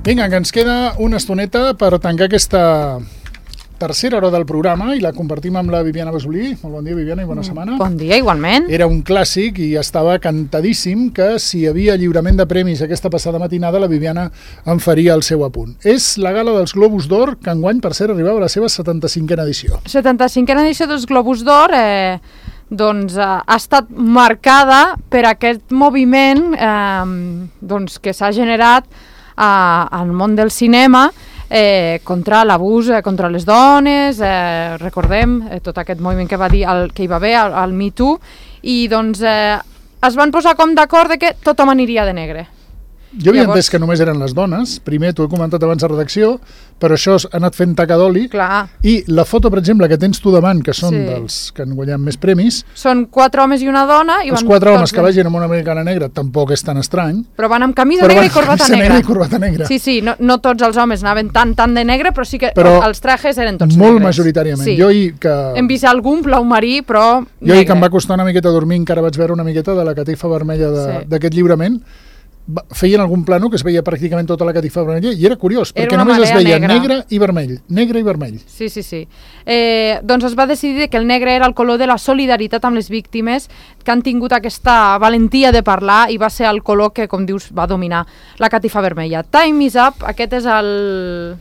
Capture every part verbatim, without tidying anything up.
Vinga, que ens queda una estoneta per tancar aquesta tercera hora del programa i la compartim amb la Viviana Besolí. Molt bon dia, Viviana, i bona setmana. Bon dia, igualment. Era un clàssic i estava cantadíssim que si hi havia lliurament de premis aquesta passada matinada, la Viviana en faria el seu apunt. És la gala dels Globus d'Or, que enguany, per cert, arribava a la seva setanta-cinquena edició. setanta-cinquena edició dels Globus d'Or eh, doncs, eh, ha estat marcada per aquest moviment eh, doncs, que s'ha generat eh, al món del cinema Eh, contra l'abús eh, contra les dones, eh, recordem eh, tot aquest moviment que va dir el, que hi va haver al, al Me Too, i doncs eh, es van posar com d'acord de que tothom aniria de negre. Jo havia Llavors... entès que només eren les dones, primer t'ho he comentat abans de redacció, però això ha anat fent taca d'oli. Clar. I la foto, per exemple, que tens tu davant, que són sí. dels que han guanyat més premis... Són quatre homes i una dona... I els van quatre homes que vagin amb una americana negra tampoc és tan estrany. Però van amb camisa negra i corbata negra. negra i corbata negra. Sí, sí, no, no tots els homes anaven tan tan de negre, però sí que però els trajes eren tots molt negres. majoritàriament. Sí. Jo ahir que... Hem vist algun blau marí, però Jo ahir que em va costar una miqueta dormir, encara vaig veure una miqueta de la catifa vermella d'aquest sí. lliurament. Feien algun plano que es veia pràcticament tota la catifa vermella i era curiós, era perquè només es veia negra. negre i vermell, negre i vermell. Sí, sí, sí. Eh, doncs es va decidir que el negre era el color de la solidaritat amb les víctimes, que han tingut aquesta valentia de parlar, i va ser el color que, com dius, va dominar la catifa vermella. Time is up, aquest és el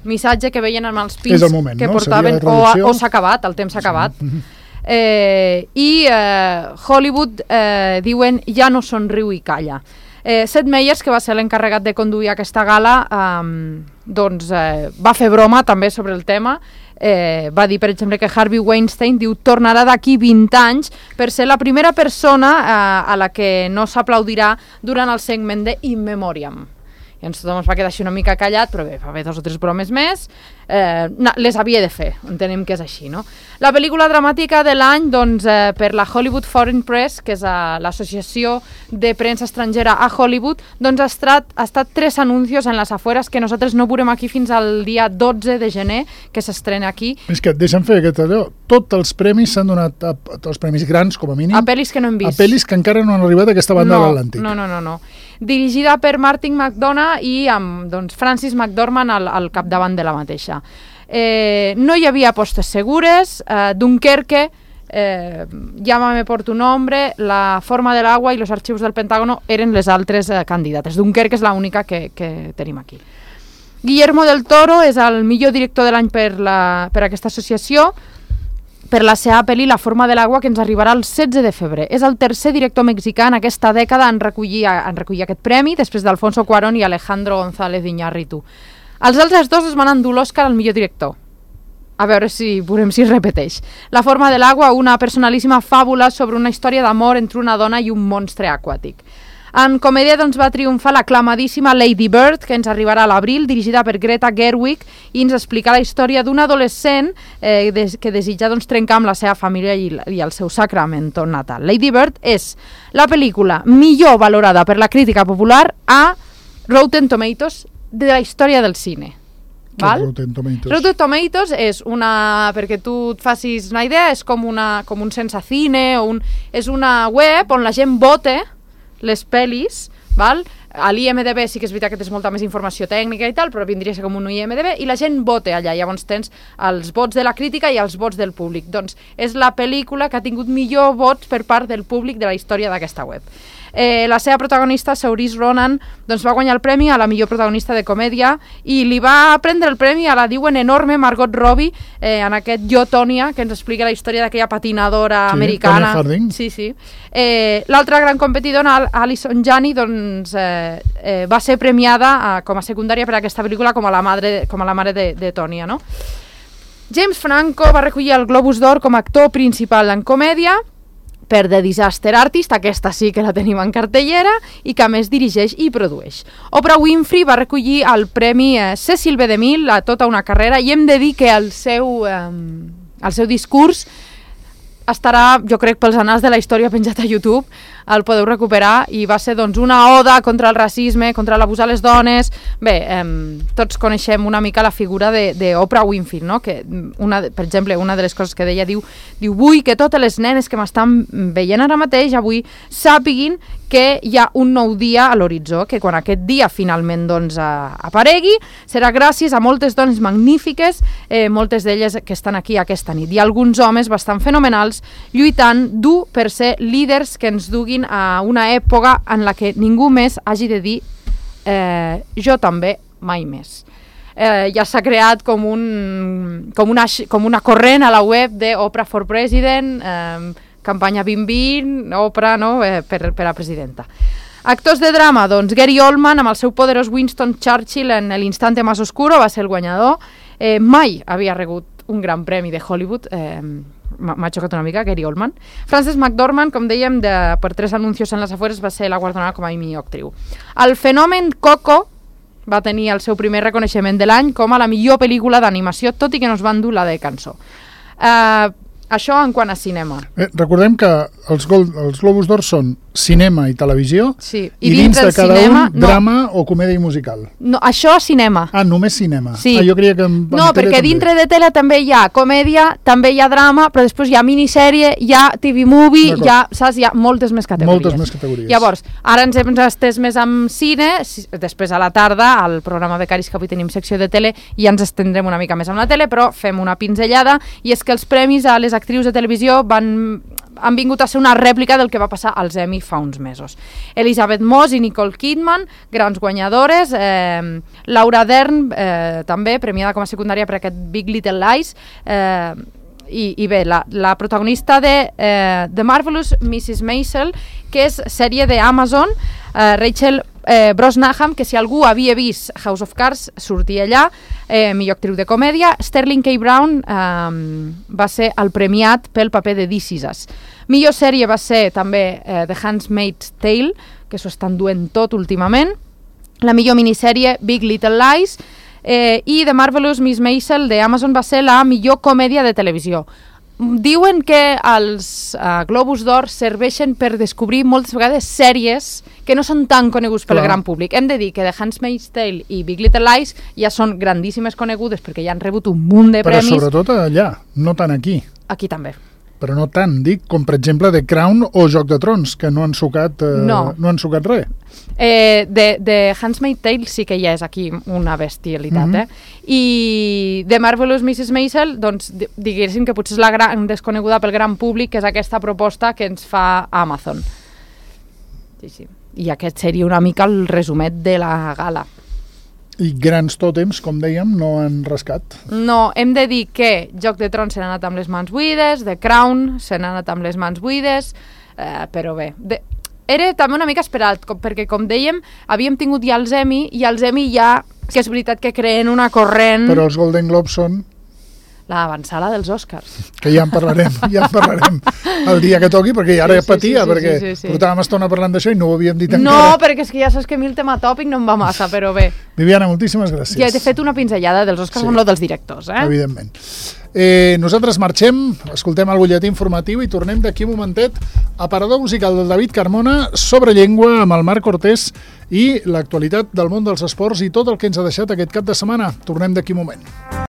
missatge que veien amb els pins moment, que no? portaven, o, o s'ha acabat, el temps s'ha acabat. Sí. Eh, I eh, Hollywood eh, diuen ja no somriu i calla. Eh, Seth Meyers, que va ser l'encarregat de conduir aquesta gala, eh, doncs eh, va fer broma també sobre el tema. Eh, va dir, per exemple, que Harvey Weinstein diu tornarà d'aquí vint anys per ser la primera persona eh, a la que no s'aplaudirà durant el segment de In Memoriam. I ens tothom es va quedar així una mica callat, però bé, va haver dos o tres bromes més, eh, no, les havia de fer, entenem que és així, no? La pel·lícula dramàtica de l'any, doncs, eh, per la Hollywood Foreign Press, que és uh, l'associació de premsa estrangera a Hollywood, doncs ha estat, ha estat tres anuncios en les afueres que nosaltres no veurem aquí fins al dia dotze de gener, que s'estrena aquí. És que et deixen fer aquest allò. Tots els premis s'han donat, a, a, els premis grans, com a mínim, a pel·lis que no hem vist. A pel·lis que encara no han arribat a aquesta banda no, de l'Atlàntic. No, no, no, no. Dirigida per Martin McDonagh i amb doncs, Francis McDormand al, al capdavant de la mateixa. Eh, no hi havia apostes segures, eh, Dunkerque, eh, Llámame por tu nombre, La forma del agua i Los archivos del Pentágono eren les altres eh, candidates. Dunkerque és l'única que, que tenim aquí. Guillermo del Toro és el millor director de l'any per, la, per aquesta associació, per la seva pel·li La forma de l'aigua, que ens arribarà el setze de febrer. És el tercer director mexicà en aquesta dècada en recollir, en recollir aquest premi, després d'Alfonso Cuarón i Alejandro González Iñárritu. Els altres dos es van endur l'Òscar al millor director. A veure si veurem si es repeteix. La forma de l'aigua, una personalíssima fàbula sobre una història d'amor entre una dona i un monstre aquàtic. En comèdia doncs, va triomfar l'aclamadíssima Lady Bird, que ens arribarà a l'abril, dirigida per Greta Gerwig, i ens explica la història d'un adolescent eh, des, que desitja doncs, trencar amb la seva família i, i el seu sacrament natal. Lady Bird és la pel·lícula millor valorada per la crítica popular a Rotten Tomatoes de la història del cine. Val? Rotten Tomatoes. Rotten Tomatoes és una, perquè tu et facis una idea, és com, una, com un Sensacine, o un, és una web on la gent vota les pel·lis, val? A l'I M D B sí que és veritat que tens molta més informació tècnica i tal, però vindria a ser com un I M D B, i la gent vota allà, llavors tens els vots de la crítica i els vots del públic. Doncs és la pel·lícula que ha tingut millor vots per part del públic de la història d'aquesta web. Eh, la seva protagonista, Saoirse Ronan, doncs va guanyar el premi a la millor protagonista de comèdia i li va prendre el premi a la diuen enorme Margot Robbie eh, en aquest Jo, Tònia, que ens explica la història d'aquella patinadora sí, americana. Tonya Harding. Sí, sí. Eh, L'altra gran competidora, Alison Janney, doncs, eh, eh, va ser premiada eh, com a secundària per aquesta pel·lícula com a la, madre, com a la mare de, de Tònia, no? James Franco va recollir el Globus d'Or com a actor principal en comèdia per The Disaster Artist, aquesta sí que la tenim en cartellera, i que a més dirigeix i produeix. Oprah Winfrey va recollir el premi eh, Cecil B. DeMille a tota una carrera, i hem de dir que el seu, eh, el seu discurs estarà, jo crec, pels anals de la història penjat a YouTube. el podeu recuperar, i va ser doncs, una oda contra el racisme, contra l'abús a les dones. Bé, eh, tots coneixem una mica la figura d'Oprah Winfrey, no? Que una, per exemple, una de les coses que deia, diu, diu vull que totes les nenes que m'estan veient ara mateix, avui, sàpiguin que hi ha un nou dia a l'horitzó, que quan aquest dia finalment doncs, aparegui, serà gràcies a moltes dones magnífiques, eh, moltes d'elles que estan aquí aquesta nit, i alguns homes bastant fenomenals lluitant dur per ser líders que ens duguin a una època en la que ningú més hagi de dir eh, jo també, mai més. Eh, ja s'ha creat com, un, com, una, com una corrent a la web de Oprah for President, eh, campanya vint vint, Oprah, no? eh, per, per a presidenta. Actors de drama, doncs Gary Oldman amb el seu poderós Winston Churchill en l'instante más oscuro va ser el guanyador. Eh, mai havia rebut un gran premi de Hollywood, eh, m'ha xocat una mica, Gary Oldman. Frances McDormand, com dèiem, de, per tres anuncios en les afueres, va ser la guardonada com a millor actriu. El fenomen Coco va tenir el seu primer reconeixement de l'any com a la millor pel·lícula d'animació, tot i que no es van dur la de cançó. Eh... Això en quant a cinema. Eh, recordem que els, gol, els Globus d'Or són cinema i televisió, sí. I, i dins de cada cinema, un, drama no. o comèdia musical. No, això cinema. Ah, només cinema. Sí. Ah, jo creia que en, en no, perquè també. Dintre de tele també hi ha comèdia, també hi ha drama, però després hi ha minissèrie, hi ha T V movie, hi ha, saps, hi ha moltes més categories. Moltes més categories. Llavors, ara ens hem estès més amb cine, després a la tarda, al programa Becaris, que avui tenim secció de tele, i ja ens estendrem una mica més amb la tele, però fem una pinzellada, i és que els premis a les actrius de televisió van, han vingut a ser una rèplica del que va passar als Emmy fa uns mesos. Elizabeth Moss i Nicole Kidman, grans guanyadores, eh, Laura Dern, eh, també premiada com a secundària per aquest Big Little Lies, eh, i, i bé, la, la protagonista de eh, The Marvelous missus Maisel, que és sèrie d'Amazon, eh, Rachel eh, Brosnahan, que si algú havia vist House of Cards sortia allà, eh, millor actriu de comèdia. Sterling K. Brown eh, va ser el premiat pel paper de This Is Us. Millor sèrie va ser també eh, The Handmaid's Tale, que s'ho estan duent tot últimament. La millor minissèrie Big Little Lies, eh, i The Marvelous Miss Maisel de Amazon va ser la millor comèdia de televisió. Diuen que els uh, Globus d'Or serveixen per descobrir moltes vegades sèries que no són tan coneguts pel Clar. gran públic. Hem de dir que The Handmaid's Tale i Big Little Lies ja són grandíssimes conegudes perquè ja han rebut un munt de Però premis. Però sobretot allà, no tant aquí. Aquí també. Però no tant, dic, com per exemple The Crown o Joc de Trons, que no han sucat, eh, no. no han sucat res. Eh, de, de Handmaid's Tale sí que ja és aquí una bestialitat, mm-hmm. eh? I The Marvelous missus Maisel, doncs, diguéssim que potser és la gran desconeguda pel gran públic, que és aquesta proposta que ens fa Amazon. Sí, sí. I aquest seria una mica el resumet de la gala. I grans tòtems, com dèiem, no han rascat. No, hem de dir que Joc de Trons se n'ha anat amb les mans buides, The Crown se n'ha anat amb les mans buides, eh, però bé, de... era també una mica esperat, com, perquè com dèiem, havíem tingut ja els Emmy, i els Emmy ja, que és veritat que creen una corrent... Però els Golden Globes són... l'avançada dels Oscars. Que ja en parlarem, ja en parlarem el dia que toqui, perquè ara sí, sí, patia, sí, sí, perquè sí, sí, sí. portàvem estona parlant d'això i no ho havíem dit no, encara. No, perquè és que ja saps que a mi el tema tòpic no em va massa, però bé. Viviana, moltíssimes gràcies. Ja t'he fet una pinzellada dels Oscars sí. amb lo dels directors, eh? Evidentment. Eh, nosaltres marxem, escoltem el butlletí informatiu i tornem d'aquí un momentet a Parador Musical del David Carmona sobre llengua amb el Marc Cortés i l'actualitat del món dels esports i tot el que ens ha deixat aquest cap de setmana. Tornem d'aquí un moment.